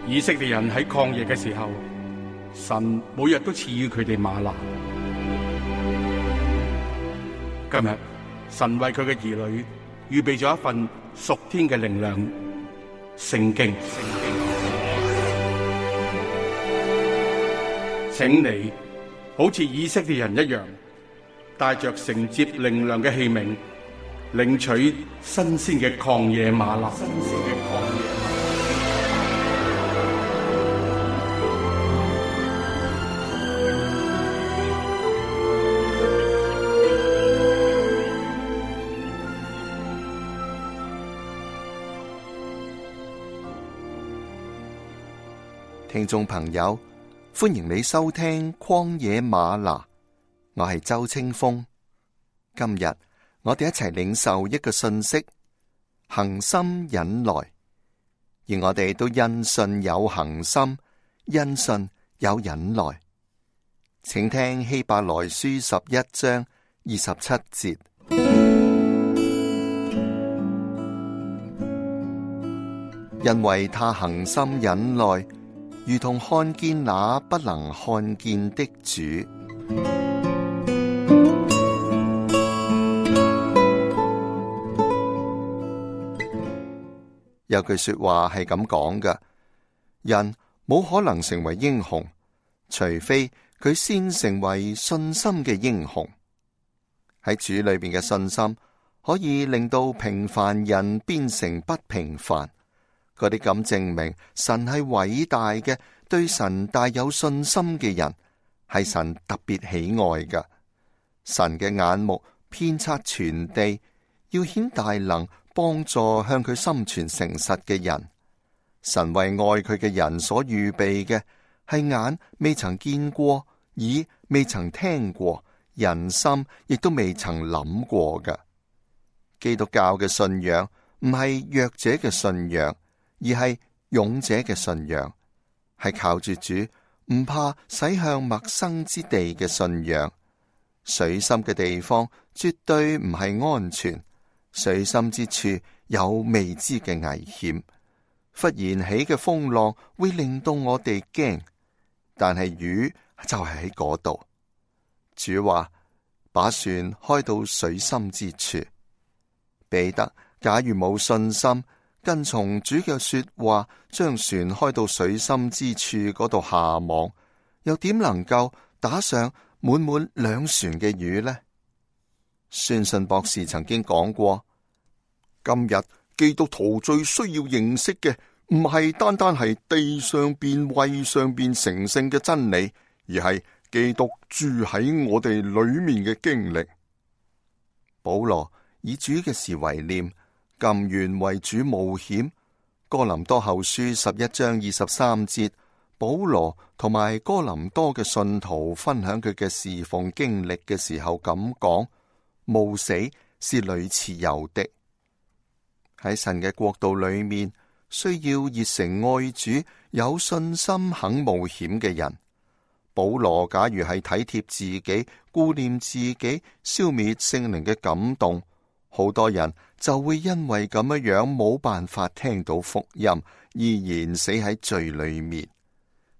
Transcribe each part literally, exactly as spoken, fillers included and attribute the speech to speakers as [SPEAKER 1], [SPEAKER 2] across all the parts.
[SPEAKER 1] 以色列人喺曠野嘅時候，神每日都賜予佢哋嗎哪。今日神為佢嘅兒女預備咗一份屬天嘅靈糧——聖經。請你好似以色列人一樣，帶着承接靈糧嘅器皿，領取新鮮嘅曠野嗎哪。新鮮嘅曠野嗎哪。
[SPEAKER 2] 聽眾朋友，歡迎你收聽曠野嗎哪，我係周清風。今日我哋一齊領受一個信息：恒心忍耐。而我哋都因信有恒心，因信有忍耐。請聽希伯來書十一章二十七節。因為他恒心忍耐，如同看見那不能看見的主。有句說話係咁講嘅：人冇可能成為英雄，除非佢先成為信心嘅英雄。喺主裏邊嘅信心，可以令到平凡人變成不平凡。嗰啲咁證明神係偉大嘅，對神大有信心嘅人，係神特別喜愛嘅。神嘅眼目遍察全地，要顯大能，幫助向佢心存誠實嘅人。神為愛佢嘅人所預備嘅，係眼未曾見過，耳未曾聽過，人心亦都未曾諗過嘅。基督教嘅信仰唔係弱者嘅信仰，而係勇者嘅信仰，係靠住主，唔怕駛向陌生之地嘅信仰。水深嘅地方絕對唔係安全，水深之處有未知嘅危險。忽然起嘅風浪會令到我哋驚，但係魚就係喺嗰度。主話：把船開到水深之處。彼得假如冇信心，跟從主嘅說話，將船開到水深之處嗰度下網，又點能夠打上滿滿兩船嘅魚呢？宣信博士曾經講過：今日基督徒最需要認識嘅，唔係單單係地上邊、位上邊成聖嘅真理，而係基督住喺我哋裏面嘅經歷。保羅以主嘅事為念，甘願為主冒險。哥林多後書十一章二十三節，保羅同埋哥林多嘅信徒分享佢嘅侍奉經歷嘅時候咁講：冒死是屢次有的。喺神嘅國度裏面，需要熱誠愛主、有信心、肯冒險嘅人。保羅假如係體貼自己、顧念自己、消滅聖靈嘅感動，好多人就會因為咁樣樣冇辦法聽到福音，依然死喺罪裏面。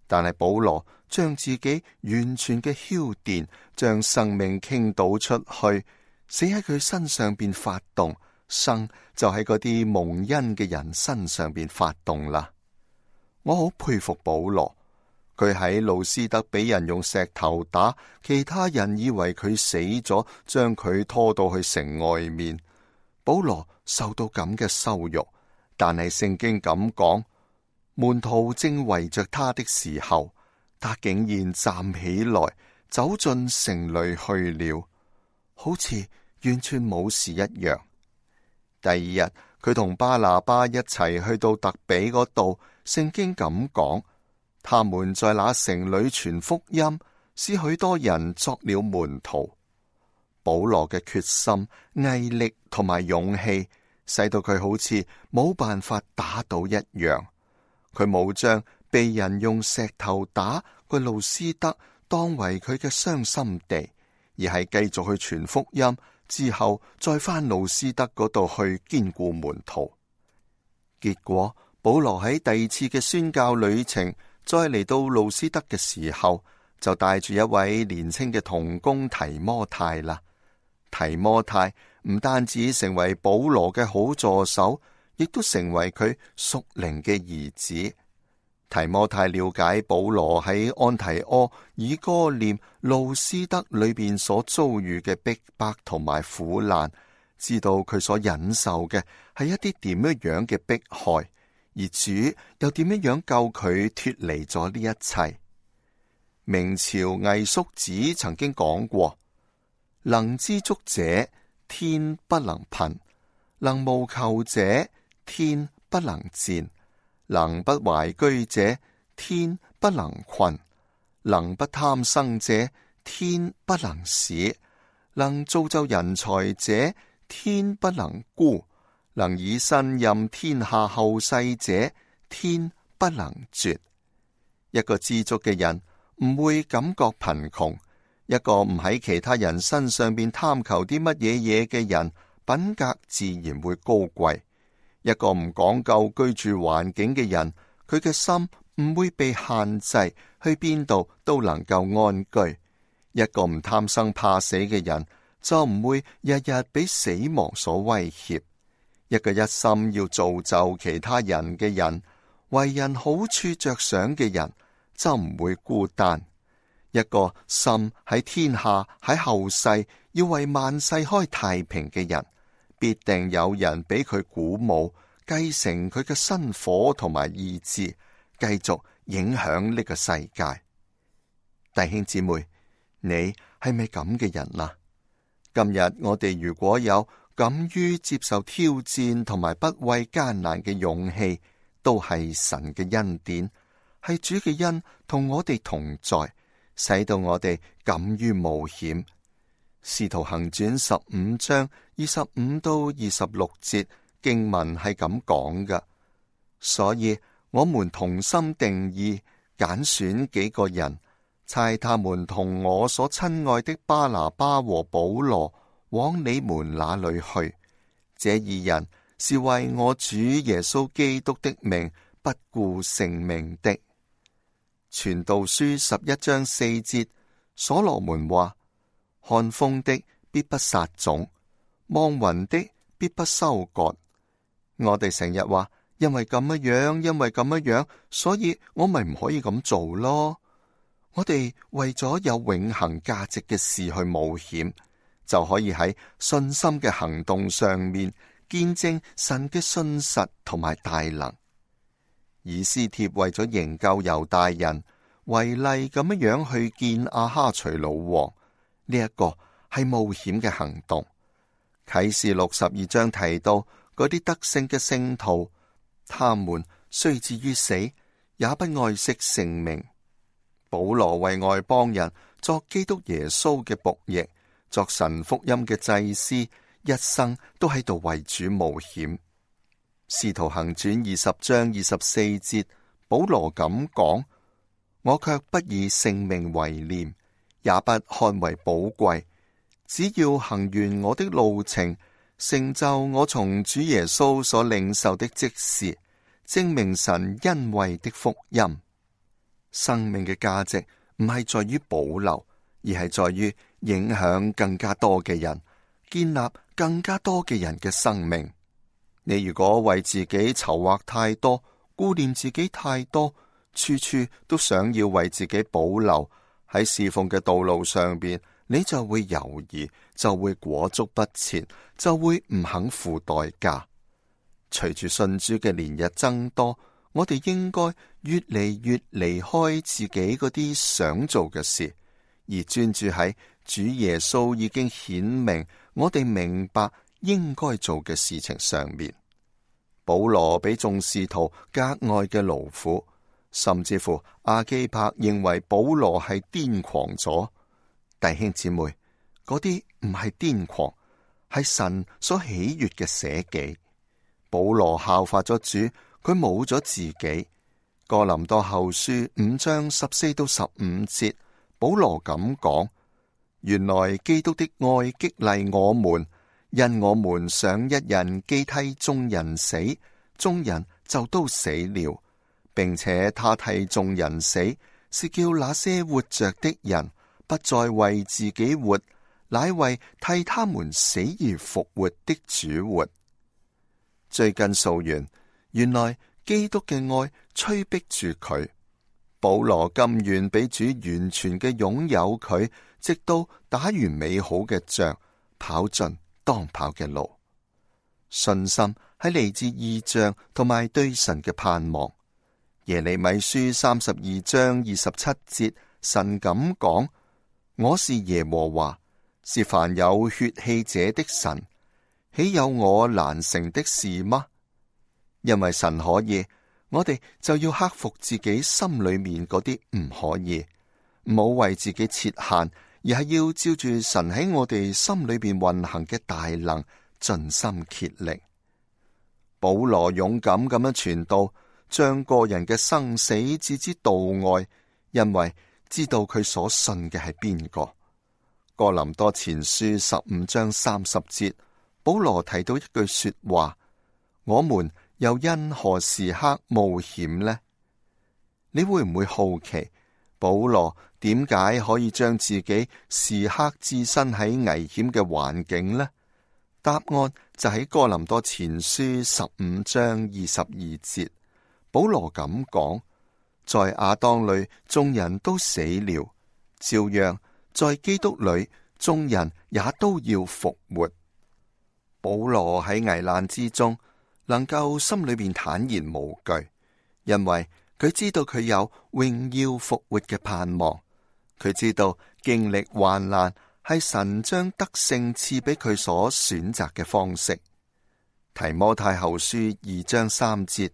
[SPEAKER 2] 但係保羅將自己完全嘅澆奠，將生命傾倒出去，死喺佢身上邊發動，生就喺嗰啲蒙恩嘅人身上邊發動啦。我好佩服保羅，佢喺路斯德俾人用石頭打，其他人以為佢死咗，將佢拖到去城外面。保羅受到咁嘅羞辱，但係聖經咁講，門徒正圍着他的時候，他竟然站起來，走進城裏去了，好似完全冇事一樣。第二日，佢同巴拿巴一齊去到特比嗰度，聖經咁講，他們在那城裏傳福音，使許多人作了門徒。保羅嘅決心、毅力同埋勇氣，使到佢好似冇辦法打倒一樣。佢冇將被人用石頭打個路斯德當為佢嘅傷心地，而係繼續去傳福音，之後再返路斯德嗰度去堅固門徒。結果保羅喺第二次嘅宣教旅程，再嚟到路斯德嘅時候，就帶住一位年輕嘅同工提摩太啦。提摩太唔單止成為保羅嘅好助手，亦都成為佢屬靈嘅兒子。提摩太了解保羅喺安提阿、以哥念、路斯德裏邊所遭遇嘅逼迫同埋苦難，知道佢所忍受嘅係一啲點樣樣嘅迫害，而主又點樣樣救佢脫離咗呢一切。明朝魏叔子曾經講過：能知足者，天不能貧；能無求者，天不能賤。能不懷居者，天不能困；能不貪生者，天不能使；能造就人才者，天不能孤；能以身任天下後世者，天不能絕。一個知足嘅人唔會感覺貧窮，一個唔喺其他人身上邊貪求啲乜嘢嘢嘅人，品格自然會高貴。一個唔講究居住環境嘅人，佢嘅心唔會被限制，去邊度都能夠安居。一個唔貪生怕死嘅人，就唔會日日俾死亡所威脅。一個一心要造就其他人嘅人，為人好處着想嘅人，就唔會孤單。一個心喺天下喺後世要為萬世開太平嘅人，必定有人俾佢鼓舞，繼承佢嘅薪火同埋意志，繼續影響呢個世界。弟兄姊妹，你係咪咁嘅人啊？今日我哋如果有敢於接受挑戰同埋不畏艱難嘅勇氣，都係神嘅恩典，係主嘅恩同我哋同在，使到我哋敢於冒險。使徒行傳十五章二十五到二十六節經文係咁講嘅，所以我們同心定意揀選幾個人，差他們同我所親愛的巴拿巴和保羅往你們那裏去。這二人是為我主耶穌基督的名不顧性命的。傳道書十一章四節，所羅門話：看風的必不撒種，望雲的必不收割。我哋成日話，因為咁樣樣，因為咁樣樣，所以我咪唔可以咁做咯。我哋為咗有永恆價值嘅事去冒險，就可以喺信心嘅行動上面見證神嘅信實同埋大能。以斯帖為咗營救猶大人，違例咁樣樣去見亞哈隨魯王，呢、這、一個係冒險嘅行動。啟示錄十二章提到嗰啲得勝嘅聖徒，他們雖至於死，也不愛惜性命。保羅為外邦人作基督耶穌嘅僕役，作神福音嘅祭司，一生都喺度為主冒險。使徒行傳二十章二十四節，保羅咁講：我卻不以性命為念，也不看為寶貴，只要行完我的路程，成就我從主耶穌所領受的職事，證明神恩惠的福音。生命嘅價值唔係在於保留，而係在於影響更加多嘅人，建立更加多嘅人嘅生命。你如果為自己籌劃太多，顧念自己太多，處處都想要為自己保留，喺侍奉嘅道路上邊，你就會猶豫，就會裹足不前，就會唔肯付代價。隨住信主嘅年日增多，我哋應該越嚟越離開自己嗰啲想做嘅事，而專注喺主耶穌已經顯明我哋明白應該做嘅事情上面。保羅比眾使徒格外嘅勞苦，甚至乎亞基帕認為保羅係癲狂咗。弟兄姊妹，嗰啲唔係癲狂，係神所喜悅嘅捨己。保羅效法咗主，佢冇咗自己。哥林多後書五章十四到十五節，保羅咁講：原來基督的愛激勵我們，因我們想一人既替眾人死，眾人就都死了，並且他替眾人死，是叫那些活着的人不再為自己活，乃為替他們死而復活的主活。追根溯源，原來基督嘅愛催逼住佢，保羅甘願俾主完全嘅擁有佢，直到打完美好嘅仗，跑盡當跑嘅路。信心係嚟自異象同埋對神嘅盼望。耶利米書三十二章二十七節，神咁講：我是耶和華，是凡有血氣者的神，豈有我難成的事嗎？因為神可以，我哋就要克服自己心裏面嗰啲唔可以，唔好為自己設限，而係要照住神喺我哋心裏邊運行嘅大能，盡心竭力。保羅勇敢咁樣傳道，將個人嘅生死置之度外，因為知道佢所信嘅係邊個。哥林多前書十五章三十節，保羅提到一句說話：我們又因何時刻冒險呢？你會唔會好奇保羅點解可以將自己時刻置身喺危險嘅環境呢？答案就喺哥林多前書十五章二十二節，保羅咁講：在亞當裏眾人都死了，照樣在基督裏眾人也都要復活。保羅喺危難之中能夠心裏邊坦然無懼，因為佢知道佢有榮耀復活嘅盼望。佢知道經歷患難係神將得勝賜俾佢所選擇嘅方式。提摩太後書二章三節，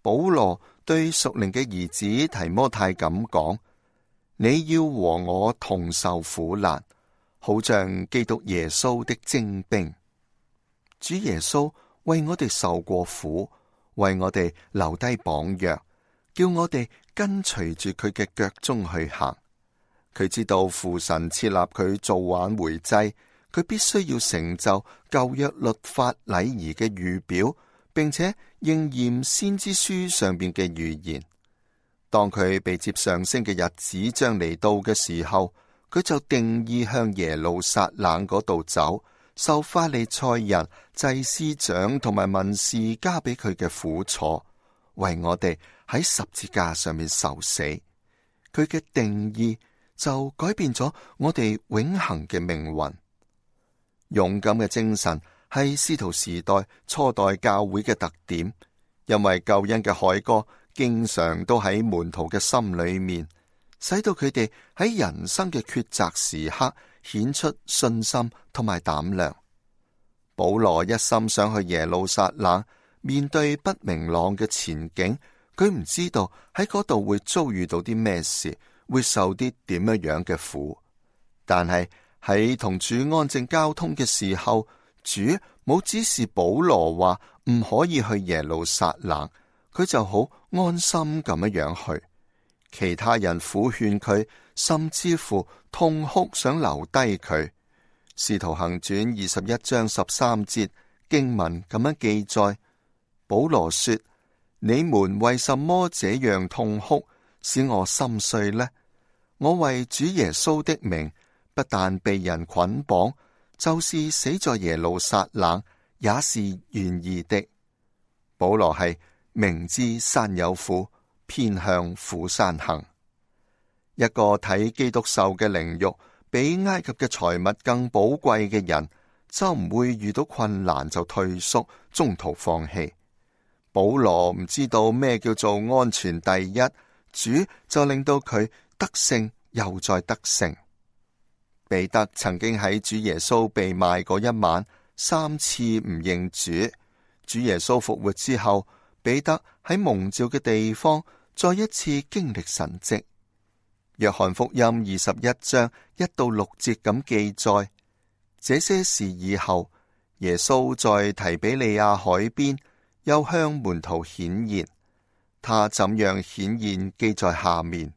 [SPEAKER 2] 保羅對屬靈嘅兒子提摩太咁講：你要和我同受苦難，好像基督耶穌的精兵。主耶穌為我哋受過苦，為我哋留低榜樣，叫我哋跟隨住佢嘅腳蹤去行。佢知道父神設立佢做挽回祭，佢必須要成就舊約律法禮儀嘅預表，並且應驗先知書上邊嘅預言。當佢被接上升嘅日子將嚟到嘅時候，佢就定意向耶路撒冷嗰度走，受法利賽人、祭司長同埋文士加俾佢嘅苦楚，為我哋喺十字架上面受死。佢嘅定意就改變咗我哋永恆嘅命運。勇敢嘅精神係使徒時代初代教會嘅特點，因為救恩嘅凱歌經常都喺門徒嘅心裏面，使到佢哋喺人生嘅抉擇時刻顯出信心同埋膽量。保羅一心想去耶路撒冷，面對不明朗嘅前景，佢唔知道喺嗰度會遭遇到啲咩事，會受啲點樣樣嘅苦。但係喺同主安靜交通嘅時候，主冇指示保羅話唔可以去耶路撒冷，佢就好安心咁樣樣去。其他人苦勸佢，甚至乎痛哭想留低佢。使徒行傳二十一章十三節經文咁樣記載，保羅說：你們為什麼這樣痛哭，使我心碎呢？我為主耶穌的名，不但被人捆綁，就是死在耶路撒冷，也是願意的。保羅係明知山有苦，偏向苦山行。一個睇基督受嘅凌辱比埃及嘅財物更寶貴嘅人，就唔會遇到困難就退縮，中途放棄。保羅唔知道咩叫做安全第一，主就令到佢得勝又再得勝。彼得曾經喺主耶穌被賣嗰一晚三次唔認主，主耶穌復活之後，彼得喺蒙召嘅地方再一次經歷神蹟。約翰福音二十一章一到六節咁記載，這些事以後，耶穌在提比利亞海邊又向門徒顯現，他怎樣顯現記在下面。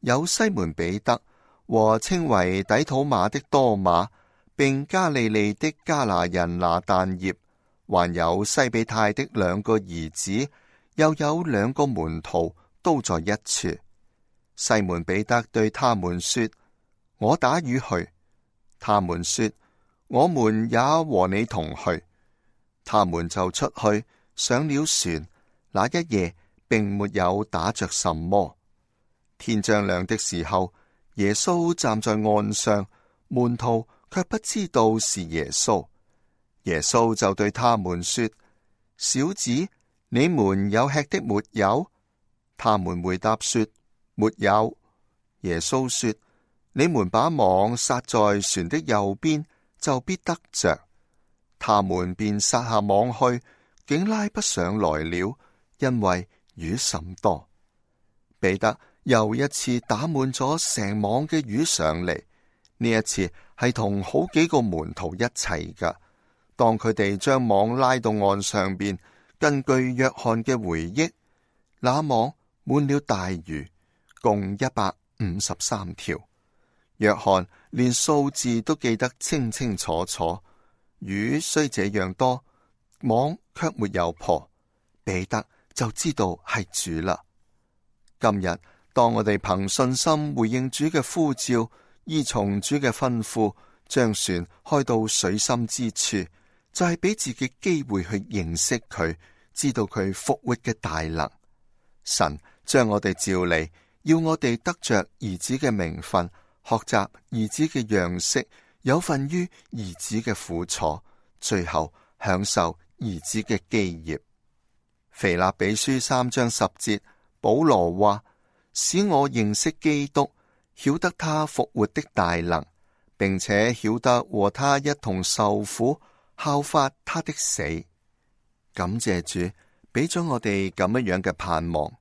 [SPEAKER 2] 有西門彼得和稱為底土馬的多馬，並加利利的加拿人拿但業，還有西比泰的兩個兒子，又有兩個門徒都在一處。西門彼得對他們說：我打魚去。他們說：我們也和你同去。他們就出去上了船，那一夜並沒有打着什麼。天將亮的時候，耶穌站在岸上，門徒卻不知道是耶穌。耶穌就對他們說：小子，你們有吃的沒有？他們回答說：沒有。耶穌說：你們把網撒在船的右邊，就必得着。他們便撒下網去，竟拉不上來了，因為魚甚多。彼得又一次打滿咗成網嘅魚上嚟，呢一次係同好幾個門徒一齊噶。當佢哋將網拉到岸上邊，根據約翰嘅回憶，那網滿了大魚，共一百五十三條。約翰連數字都記得清清楚楚。魚雖這樣多，網卻沒有破，彼得就知道係主啦。今日當我哋憑信心回應主嘅呼召，依從主嘅吩咐，將船開到水深之處，就係俾自己機會去認識佢，知道佢復活嘅大能。神將我哋召嚟，要我哋得着兒子嘅名分，學習兒子嘅樣式，有份於兒子嘅苦楚，最後享受兒子嘅基業。腓立比書三章十節，保羅話：使我認識基督，曉得他復活的大能，並且曉得和他一同受苦，效法他的死。感謝主，俾咗我哋咁樣樣嘅盼望。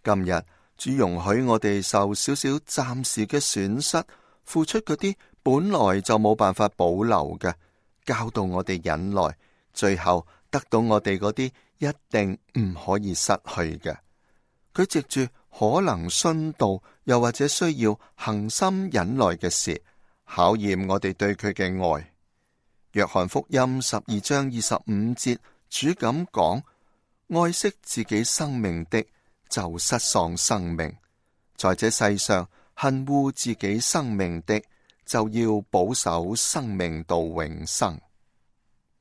[SPEAKER 2] 今日主容許我哋受少少暫時嘅損失，付出嗰啲本來就冇辦法保留嘅，教導我哋忍耐，最後得到我哋嗰啲一定唔可以失去嘅。佢藉住可能殉道，又或者需要恒心忍耐嘅事，考驗我哋對佢嘅愛。約翰福音十二章二十五節，主咁講：愛惜自己生命的，就失喪生命；在這世上恨惡自己生命的，就要保守生命到永生。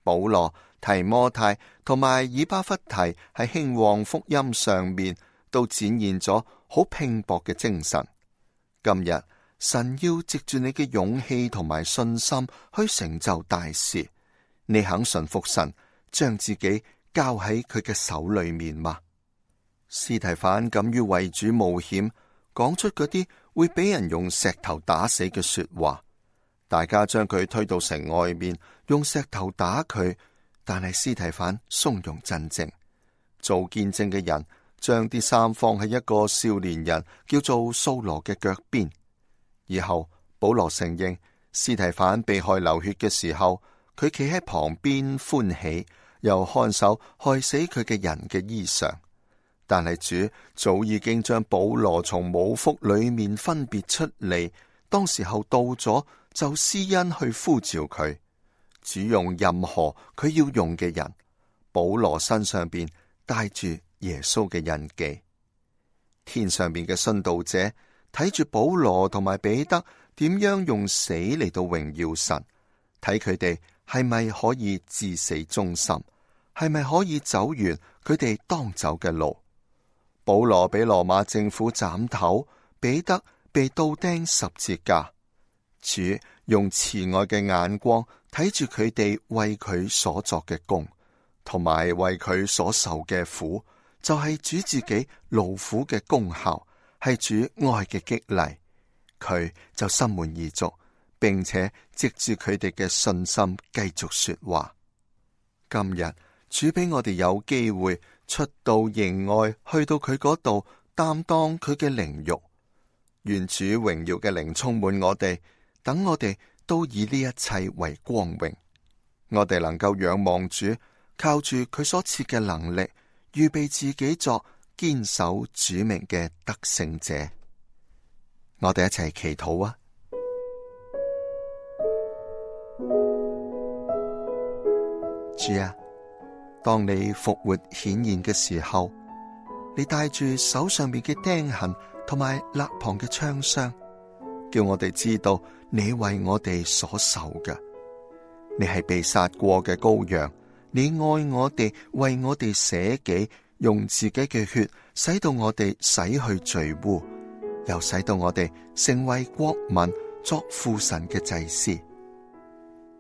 [SPEAKER 2] 保羅、提摩太同埋以巴弗提喺興旺福音上面都展現咗好拼搏嘅精神。今日神要藉住你嘅勇氣同埋信心去成就大事，你肯順服神，將自己交喺佢嘅手裏面嗎？司提反敢於為主冒險，講出嗰啲會俾人用石頭打死嘅說話。大家將佢推到城外面，用石頭打佢，但係司提反從容鎮靜。做見證嘅人將啲衫放喺一個少年人叫做掃羅嘅腳邊。以後保羅承認，司提反被害流血嘅時候，佢企喺旁邊歡喜，又看守害死佢嘅人嘅衣裳。但係主早已經將保羅從母腹裏面分別出嚟，當時候到咗，就施恩去呼召佢。主用任何佢要用嘅人，保羅身上邊帶住耶穌嘅印記。天上邊嘅殉道者睇住保羅同埋彼得點樣用死嚟到榮耀神，睇佢哋係咪可以至死忠心，係咪可以走完佢哋當走嘅路。保羅俾羅馬政府斬頭，彼得被倒釘十字架。主用慈愛嘅眼光睇住佢哋為佢所作嘅功，同埋為佢所受嘅苦，就係主自己勞苦嘅功效，係主愛嘅激勵。佢就心滿意足，並且藉住佢哋嘅信心繼續說話。今日主俾我哋有機會出到營外，去到佢嗰度擔當佢嘅凌辱。願主榮耀嘅靈充滿我哋，等我哋都以呢一切為光榮。我哋能夠仰望主，靠住佢所賜嘅能力，預備自己作堅守主名嘅得勝者。我哋一齊祈禱啊！主啊，當你復活顯現嘅時候，你帶住手上邊嘅釘痕同埋肋旁嘅槍傷，叫我哋知道你為我哋所受嘅。你係被殺過嘅羔羊，你愛我哋，為我哋捨己，用自己嘅血使到我哋洗去罪污，又使到我哋成為國民，作父神嘅祭司。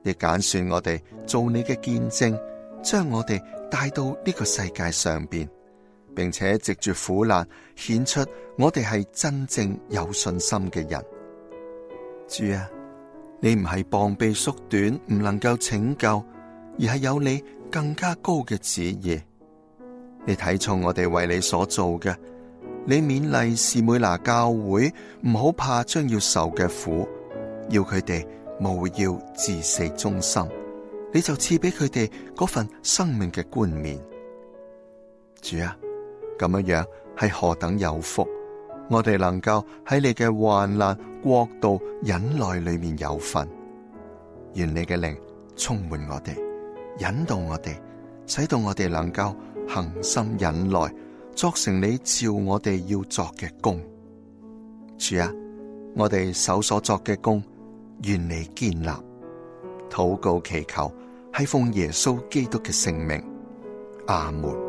[SPEAKER 2] 亦揀選我哋做你嘅見證，將我哋帶到呢個世界上邊，並且藉住苦難顯出我哋係真正有信心嘅人。主啊，你唔係膀臂縮短，唔能夠拯救，而係有你更加高嘅旨意。你睇重我哋為你所做嘅，你勉勵士每拿教會唔好怕將要受嘅苦，要佢哋務要至死忠心，你就賜俾佢哋嗰份生命嘅冠冕。主啊，咁樣樣係何等有福！我哋能夠喺你嘅患難、國度、忍耐裏面有份。願你嘅靈充滿我哋，引導我哋，使到我哋能夠恒心忍耐，作成你照我哋要作嘅工。主啊，我哋手所作嘅工，願你堅立。禱告祈求，係奉耶穌基督嘅聖名。阿門。